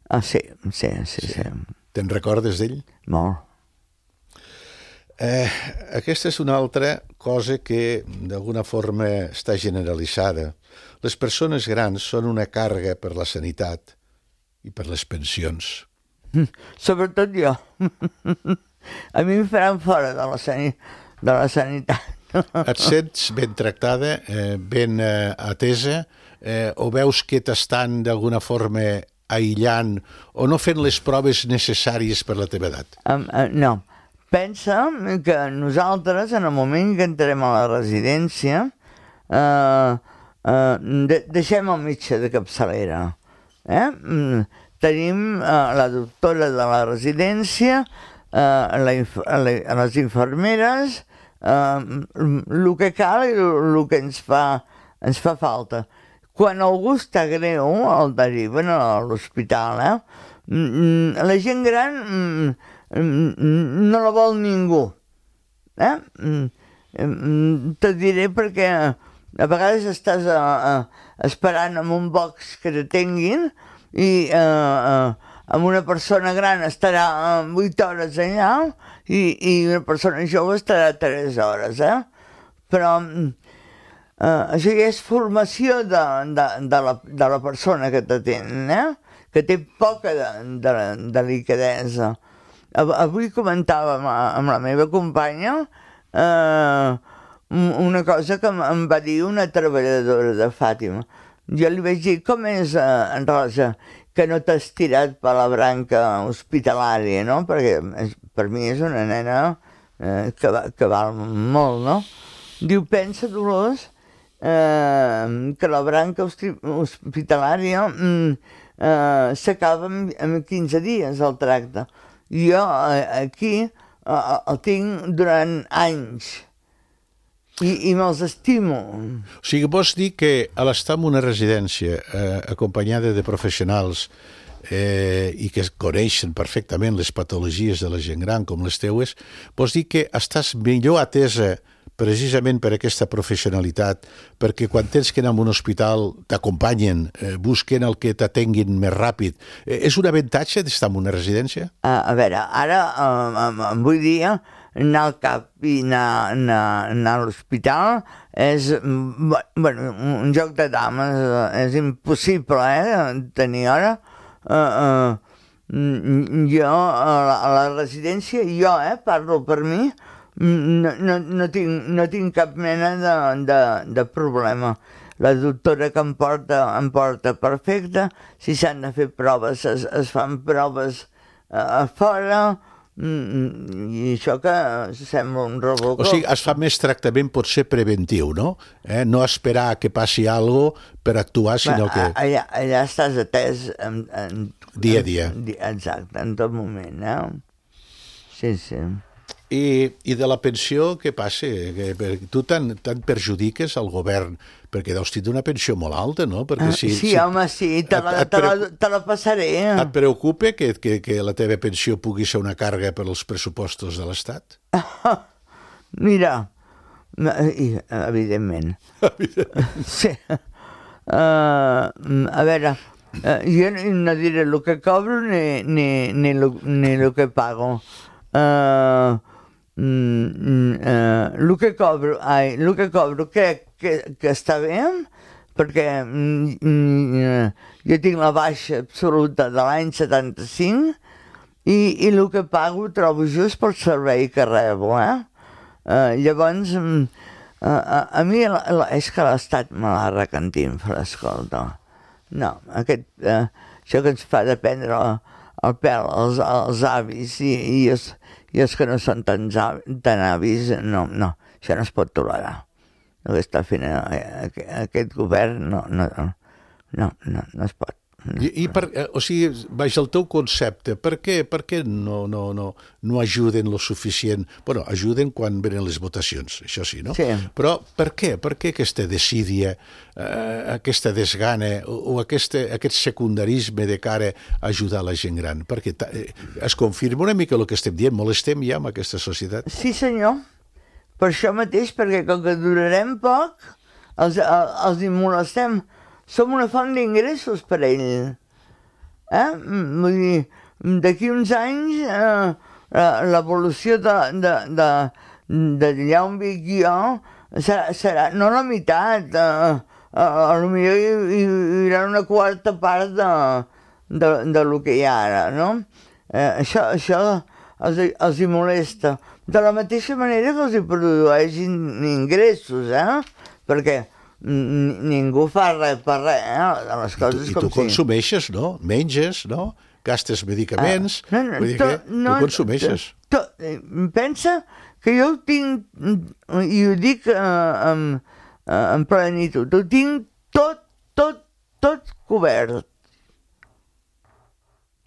Ah, sí, sí, sí. sí. Te'n recordes d'ell? Molt. Eh, aquesta és una altra cosa que d'alguna forma està generalitzada. Les persones grans són una càrrega per la sanitat i per les pensions. Sobretot jo. A mi em faran fora de la sanitat. de la sanitat. Et sents ben tractada, eh, ben eh, atesa, eh, o veus que t'estan d'alguna forma aïllant o no fent les proves necessàries per la teva edat? Um, uh, no. Pensa que nosaltres, en el moment que entrem a la residència, eh, Uh, de deixem el metge de capçalera. Eh? Mm, tenim uh, la doctora de la residència, uh, la inf la, les infermeres, uh, el que cal i el que ens fa, ens fa falta. Quan algú està greu, el deriven a l'hospital. Eh? Mm, la gent gran mm, no la vol ningú. Eh? Mm, mm, te diré perquè a vegades estàs a, a, esperant en un box que t'atenguin i eh, eh, amb una persona gran estarà vuit hores allà i, i una persona jove estarà tres hores, eh? Però eh, això ja és formació de, de, de, la, de la persona que t'atén, eh? Que té poca de, de, delicadesa. Avui comentàvem amb la meva companya eh, una cosa que em va dir una treballadora de Fàtima. Jo li vaig dir, com és, eh, Rosa, que no t'has tirat per la branca hospitalària, no? Perquè és, per mi és una nena eh, que, va, que val molt, no? Diu, pensa, Dolors, eh, que la branca hospitalària mm, eh, s'acaba en, en quinze dies, el tracte. Jo eh, aquí eh, el tinc durant anys. I, i me'ls estimo. O sigui, vols dir que a l'estar en una residència eh, acompanyada de professionals eh, i que coneixen perfectament les patologies de la gent gran com les teues, vols dir que estàs millor atesa precisament per aquesta professionalitat, perquè quan tens que anar a un hospital t'acompanyen, eh, busquen el que t'atenguin més ràpid. Eh, és un avantatge d'estar en una residència? A, a veure, ara, eh, avui dia, anar al cap i anar, anar, anar a l'hospital és bueno, un joc de dames, és impossible eh, tenir hora. Uh, uh, jo a la, a la residència, jo eh, parlo per mi, no, no, no, tinc, no tinc cap mena de, de, de problema. La doctora que em porta, em porta perfecta, si s'han de fer proves, es, es fan proves a fora. Mm, i això que sembla un robocop. O sigui, es fa més tractament potser preventiu, no? Eh? No esperar que passi alguna cosa per actuar, sinó que... Allà, allà estàs atès en, en, dia a dia. En, exacte, en tot moment, eh? Sí, sí. I, i de la pensió, què passa? Que tu tant, tant perjudiques al govern, perquè deus tindre una pensió molt alta, no? Perquè si, sí, si, home, sí, te la, et, et te la, te la passaré. Et preocupa que, que, que la teva pensió pugui ser una càrrega per als pressupostos de l'Estat? Mira, evidentment. Evidentment. Sí. Uh, a veure, uh, jo no diré el que cobro ni, ni, ni, lo, ni el que pago. Uh, Mm, uh, el que cobro, ai, el que cobro crec que, que està bé, perquè mm, mm, jo tinc la baixa absoluta de l'any setanta-cinc i, i el que pago ho trobo just pel servei que rebo, eh? Uh, llavors, mm, uh, a, a mi la, la, és que l'Estat me l'ha recantinfla, escolta. No, aquest, uh, això que ens fa de prendre el, el pèl als, als avis i, i els i els que no són tan, tan avis, no, no, això no es pot tolerar. El que està fent aquest govern, no, no, no, no, no es pot. No. I, i per, o sigui, baix el teu concepte, per què, per què no, no, no, no ajuden lo suficient? Bueno, ajuden quan venen les votacions, això sí, no? Sí. Però per què? Per què aquesta desídia, eh, aquesta desgana o, o aquest, aquest secundarisme de cara a ajudar la gent gran? Perquè eh, es confirma una mica el que estem dient, molestem ja amb aquesta societat? Sí, senyor. Per això mateix, perquè com que durarem poc, els, els hi molestem. Som una font d'ingressos per ell. Eh? Vull dir, d'aquí uns anys eh, l'evolució de, de, de, d'allà on vic jo serà, serà no la meitat, eh, a, a lo millor hi, hi, hi haurà una quarta part de, de, de lo que hi ha ara, no? Eh, això això els, els hi molesta. De la mateixa manera que els hi produeixin ingressos, eh? Perquè ningú fa res per res, eh? Les coses I tu, com i tu si... consumeixes, no? Menges, no? Gastes medicaments... Ah, no, no, vull dir to, que no, tu consumeixes. To, to, pensa que jo ho tinc, i ho dic eh, amb, eh, amb plenitud, ho tinc tot, tot, tot cobert.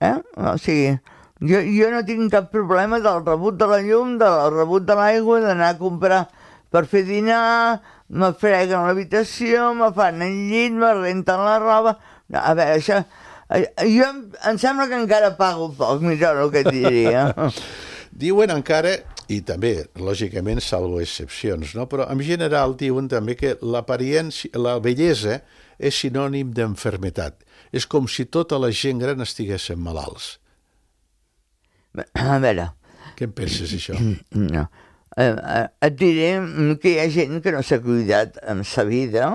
Eh? O sigui, jo, jo no tinc cap problema del rebut de la llum, del rebut de l'aigua, d'anar a comprar per fer dinar, me freguen l'habitació, me fan el llit, me renten la roba. No, a veure, això... Jo em, em sembla que encara pago poc, mira el que et diria. Diuen encara, i també, lògicament, salvo excepcions, no? Però en general diuen també que l'apariència, la bellesa és sinònim d'enfermetat. És com si tota la gent gran estiguessin malalts. A veure... Què en penses, això? No. Eh, eh, et diré que hi ha gent que no s'ha cuidat en sa vida,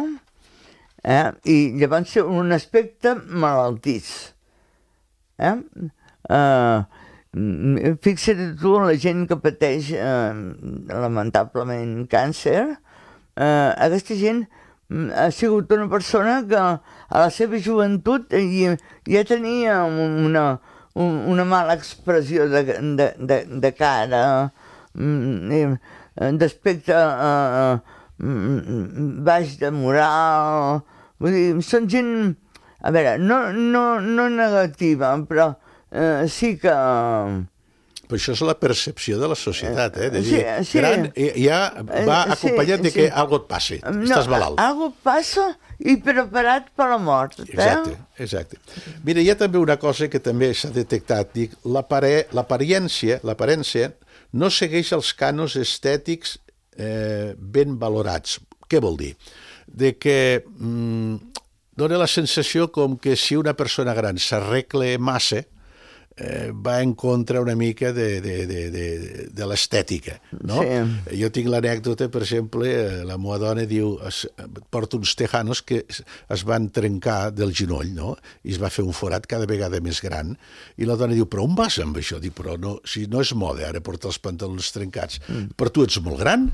eh? I llavors un aspecte malaltís. Eh? Eh, fixa't tu, la gent que pateix eh, lamentablement càncer, eh, aquesta gent ha sigut una persona que a la seva joventut ja, ja tenia una, una mala expressió de, de, de, de cara, d'aspecte uh, baix de moral. Vull dir, són gent, a veure, no, no, no negativa, però uh, sí que... Però això és la percepció de la societat, eh? De sí, dir, sí. gran ja va acompanyat sí, de que sí. algo et passi, no, estàs malalt. Algo passa i preparat per la mort. Eh? Exacte, exacte. Mira, hi ha també una cosa que també s'ha detectat, dic, l'apariència, l'aparència no segueix els cànons estètics eh, ben valorats. Què vol dir? De que mm, dona la sensació com que si una persona gran s'arregle massa, eh, va en contra una mica de, de, de, de, de l'estètica, no? Sí. Jo tinc l'anècdota, per exemple, la meva dona diu, es, porta uns tejanos que es van trencar del genoll, no? I es va fer un forat cada vegada més gran, i la dona diu, però on vas amb això? Dic, però no, si no és moda ara portar els pantalons trencats, mm. però tu ets molt gran,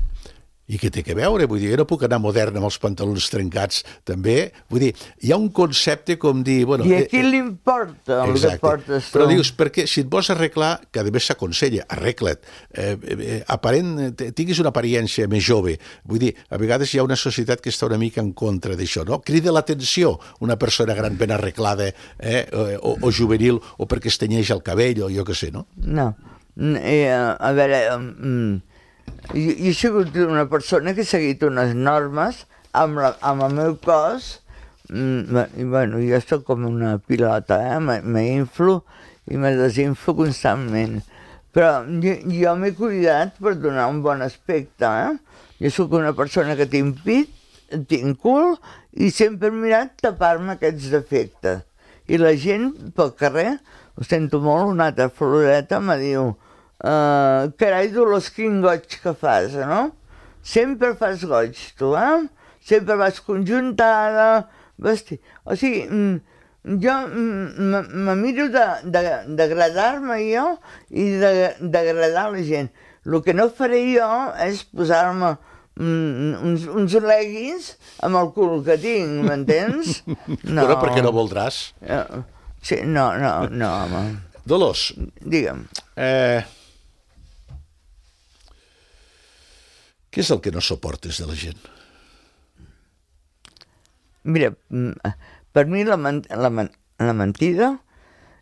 i què té que veure? Vull dir, jo no puc anar modern amb els pantalons trencats, també. Vull dir, hi ha un concepte com dir... Bueno, I a qui li importa el que portes tu? Però dius, perquè si et vols arreglar, que a més s'aconsella, arregla't, eh, eh, aparent, tinguis una apariència més jove. Vull dir, a vegades hi ha una societat que està una mica en contra d'això, no? Crida l'atenció una persona gran ben arreglada, eh, o, o juvenil, o perquè es tenyeix el cabell, o jo què sé, no? No. Eh, a veure... Um, Jo, jo he sigut una persona que he seguit unes normes amb, la, amb el meu cos mm, i bueno, jo soc com una pilota, eh? M'inflo i me desinflo constantment, però jo, jo m'he cuidat per donar un bon aspecte, eh? Jo soc una persona que tinc pit, tinc cul i sempre he mirat tapar-me aquests defectes, i la gent pel carrer, ho sento molt, una altra floreta me diu Uh, carai, Dolors, quin goig que fas, no? Sempre fas goig, tu, eh? Sempre vas conjuntada, vesti... O sigui, jo me miro d'agradar-me jo i d'agradar la gent. El que no faré jo és posar-me uns, uns leggings amb el cul que tinc, m'entens? No. Però perquè no voldràs. Uh, sí, no, no, no, home. Dolors. Digue'm. Eh... Què és el que no suportes de la gent? Mira, per mi la, la, la mentida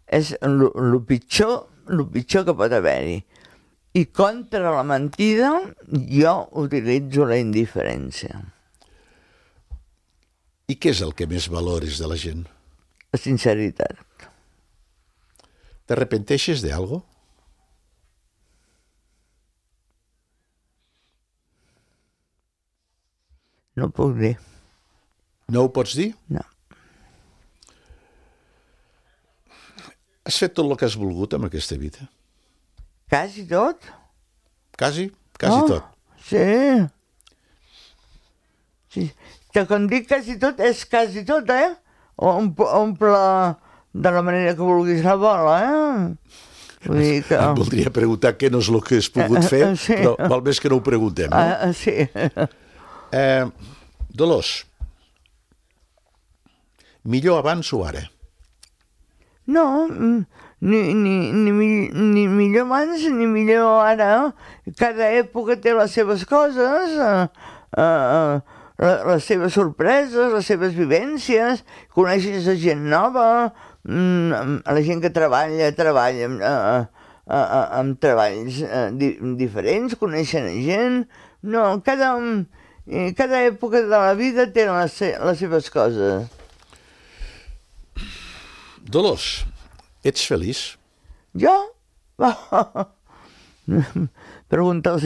és el pitjor, lo pitjor que pot haver-hi. I contra la mentida jo utilitzo la indiferència. I què és el que més valores de la gent? La sinceritat. ¿T'arrepenteixes de algo? No puc dir. No ho pots dir? No. Has fet tot el que has volgut amb aquesta vida? Quasi tot. Quasi? Quasi oh, tot. Sí. Sí. Que quan dic quasi tot, és quasi tot, eh? Omple de la manera que vulguis la bola, eh? Vull dir que... Em voldria preguntar què no és el que has pogut fer, sí. Però val més que no ho preguntem, no? Uh, sí. Eh, Dolors, millor abans o ara? No, ni, ni, ni, ni millor abans ni millor ara. Cada època té les seves coses. Uh, uh, les seves sorpreses, les seves vivències, coneixes a gent nova, la gent que treballa, treballa amb, amb treballs diferents, coneixen a gent. No, cada, cada època de la vida té les, les seves coses. Dolors, ets feliç? Jo? Pregunta-los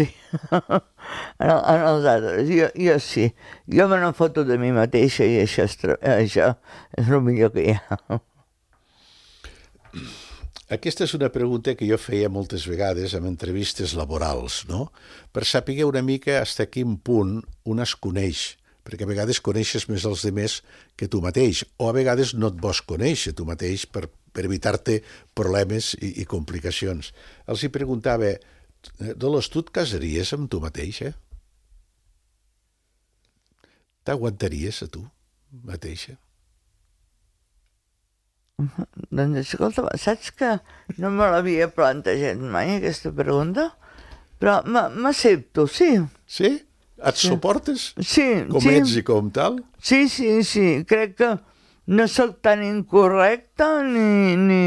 als altres. Jo, jo sí. Jo me n'en foto de mi mateixa i això és, això és el millor que hi ha. Aquesta és una pregunta que jo feia moltes vegades en entrevistes laborals, no? Per saber una mica fins a quin punt un es coneix, perquè a vegades coneixes més els demés que tu mateix, o a vegades no et vols conèixer tu mateix per, per evitar-te problemes i, i complicacions. Els hi preguntava, Dolors, tu et casaries amb tu mateixa? T'aguantaries a tu mateixa? Doncs escolta, saps que no me l'havia plantejat mai aquesta pregunta? Però m'accepto, sí. Sí? Et sí. Suportes? Sí. Com sí. ets i com tal? Sí, sí, sí. Crec que no sóc tan incorrecta ni... ni...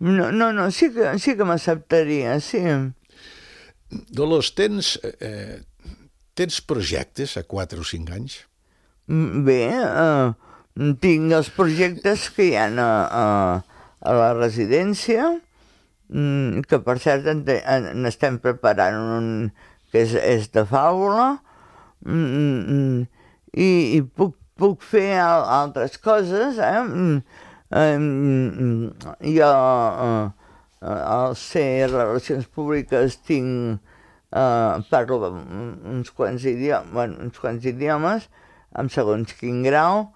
No, no, no, sí que, sí que m'acceptaria, sí. Dolors, tens, eh, tens projectes a quatre o cinc anys? Bé, eh, tinc els projectes que hi ha a, a, a la residència, que per cert n'estem preparant un que és, és de fàbula, i, i puc, puc fer altres coses. Eh? Jo, al ser relacions públiques, tinc, uh, parlo uns quants idiomes, bueno, uns quants idiomes, amb segons quin grau,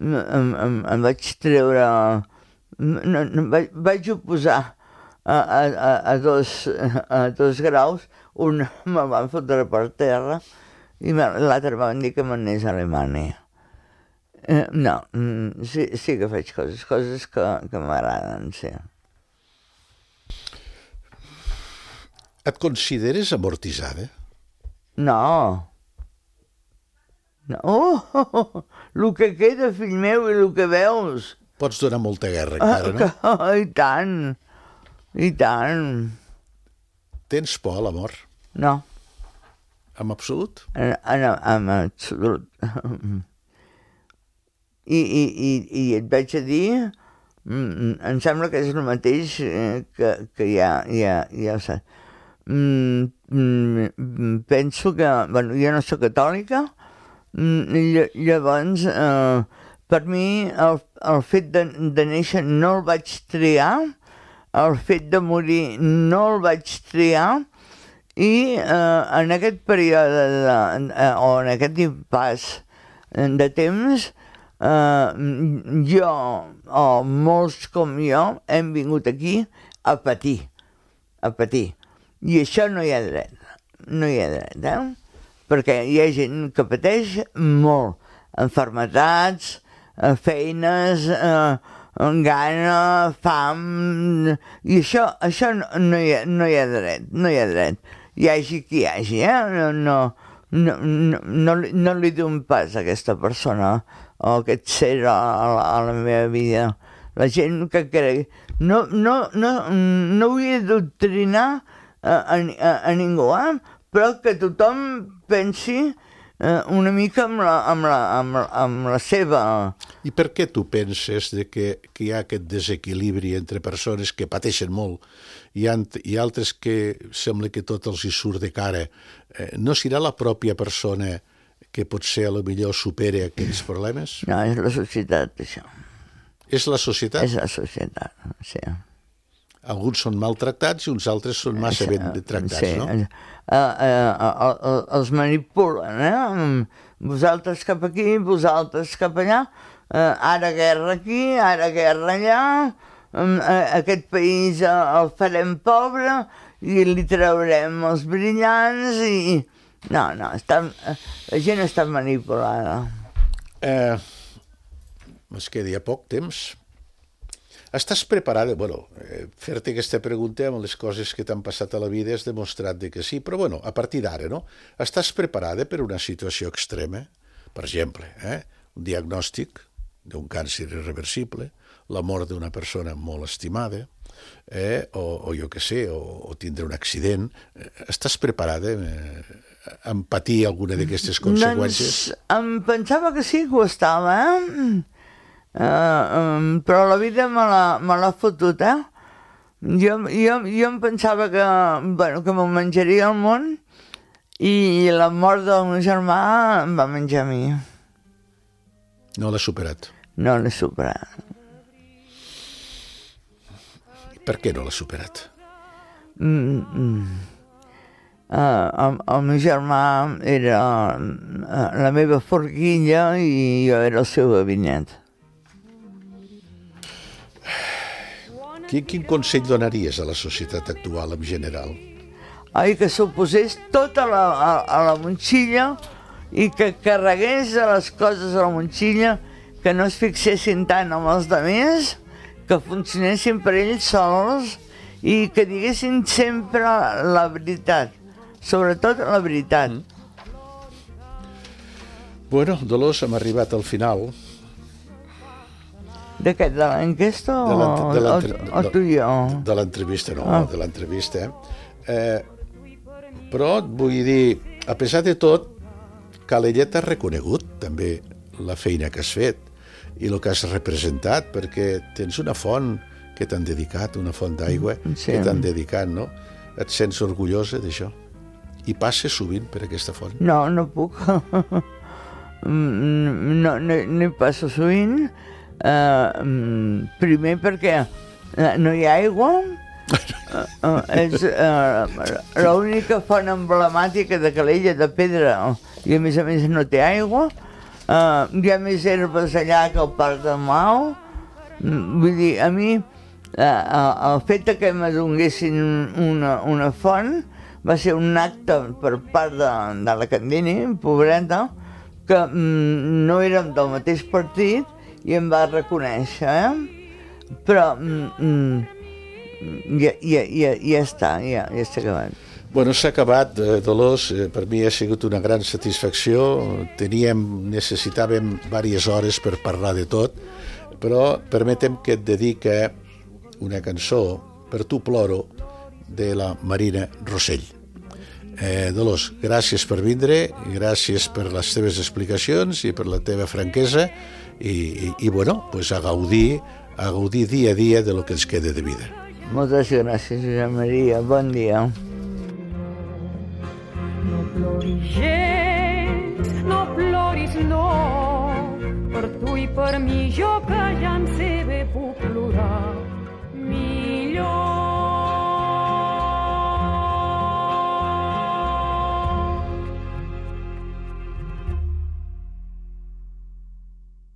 em, em, em vaig treure, no, no, vaig, vaig oposar a, a, a, dos, a dos graus, un me'l van fotre per terra i l'altre van dir que m'anés a Alemanya. Eh, no, sí, sí que faig coses, coses que, que m'agraden, sí. Et consideres amortitzada? No. No. Oh, oh, oh, el que queda, fill meu, i el que veus. Pots donar molta guerra encara, no? Oh, I tant, i tant. Tens por a la mort? No. En absolut? En, en, en absolut. I, i, i, i et vaig a dir, em sembla que és el mateix que, que ja, ja, ja ho saps. Mm, mm, penso que, bueno, jo no soc catòlica, mm, llavors eh, per mi el, el fet de, de néixer no el vaig triar, el fet de morir no el vaig triar, i eh, en aquest període de, eh, o en aquest impàs de temps, eh, jo o molts com jo hem vingut aquí a patir, a patir. I això no hi ha dret, no hi ha dret, eh? Perquè hi ha gent que pateix molt, malalties, feines, eh, gana, fam, i això, això no, no, hi ha, no hi ha dret, no hi ha dret. Hi hagi qui hi hagi, eh? No, no, no, no, no, no li dono pas a aquesta persona o aquest ser a, a, a la meva vida. La gent que crec... No, no, no, no vull adoctrinar A, a, a ningú, eh? Però que tothom pensi eh, una mica amb la, amb, la, amb, la, amb la seva... I per què tu penses de que, que hi ha aquest desequilibri entre persones que pateixen molt i, i altres que sembla que tot els hi surt de cara? Eh, no serà la pròpia persona que potser a lo millor supera aquests problemes? No, és la societat, això. És la societat? És la societat, sí. Alguns són maltractats i uns altres són massa ben tractats, sí. no? Uh, uh, uh, uh, els manipulen, eh? Vosaltres cap aquí, vosaltres cap allà, uh, ara guerra aquí, ara guerra allà, um, uh, aquest país uh, el farem pobre i li traurem els brillants i... No, no, està, uh, la gent està manipulada. Eh, ens queda poc temps. Estàs preparada? Bueno, eh, fer-te aquesta pregunta amb les coses que t'han passat a la vida has demostrat de que sí, però bueno, a partir d'ara, no? Estàs preparada per una situació extrema? per exemple, eh? un diagnòstic d'un càncer irreversible, la mort d'una persona molt estimada, eh? o, o jo què sé, o, o tindre un accident. Estàs preparada eh, a empatir alguna d'aquestes conseqüències? Doncs em pensava que sí que ho estava, eh? Uh, um, però la vida me l'ha fotut, eh? Jo, jo, jo em pensava que, bueno, que me'l menjaria al món i la mort del meu germà em va menjar a mi. No l'ha superat? No l'he superat. Per què no l'ha superat? Mm, mm. Uh, el, el meu germà era uh, la meva forquilla i jo era el seu gabinet. Quin, quin consell donaries a la societat actual en general? Ai, que s'ho posés tota la, a, a la motxilla i que carregués les coses a la motxilla, que no es fixessin tant amb els altres, que funcionessin per ells sols i que diguessin sempre la veritat, sobretot la veritat. Mm. Bueno, Dolors, hem arribat al final. De què? De l'enquesta o, o, o tu i jo? De l'entrevista, no, ah. de l'entrevista. Eh, però et vull dir, a pesar de tot, Calellet ha reconegut també la feina que has fet i el que has representat, perquè tens una font que t'han dedicat, una font d'aigua sí. que t'han dedicat, no? Et sents orgullosa d'això? I passes sovint per aquesta font? No, no puc. no, no, no hi passo sovint. Uh, primer perquè uh, no hi ha aigua. Uh, uh, és uh, l'única font emblemàtica de Calella, de pedra, i a més a més no té aigua. Uh, hi ha més herbes allà que al Parc del Mau. Mm, vull dir, a mi uh, uh, el fet que m'adonguessin una, una font va ser un acte per part de, de la Candini, pobreta, que mm, no érem del mateix partit i em va reconèixer, eh? Però mm, ja, ja, ja, ja està, ja, ja està acabat. Bueno, s'ha acabat, eh, Dolors, eh, per mi ha sigut una gran satisfacció. Teníem, necessitàvem diverses hores per parlar de tot, però permetem que et dedique una cançó, Per tu ploro, de la Marina Rossell. Eh, Dolors, gràcies per vindre, gràcies per les teves explicacions i per la teva franquesa i, i, i bueno, pues a gaudir, a gaudir dia a dia de lo que ens queda de vida. Moltes gràcies, Josep Maria. Bon dia. No ploris, gent, no ploris, no. Per tu i per mi, jo que ja en sé bé puc plorar.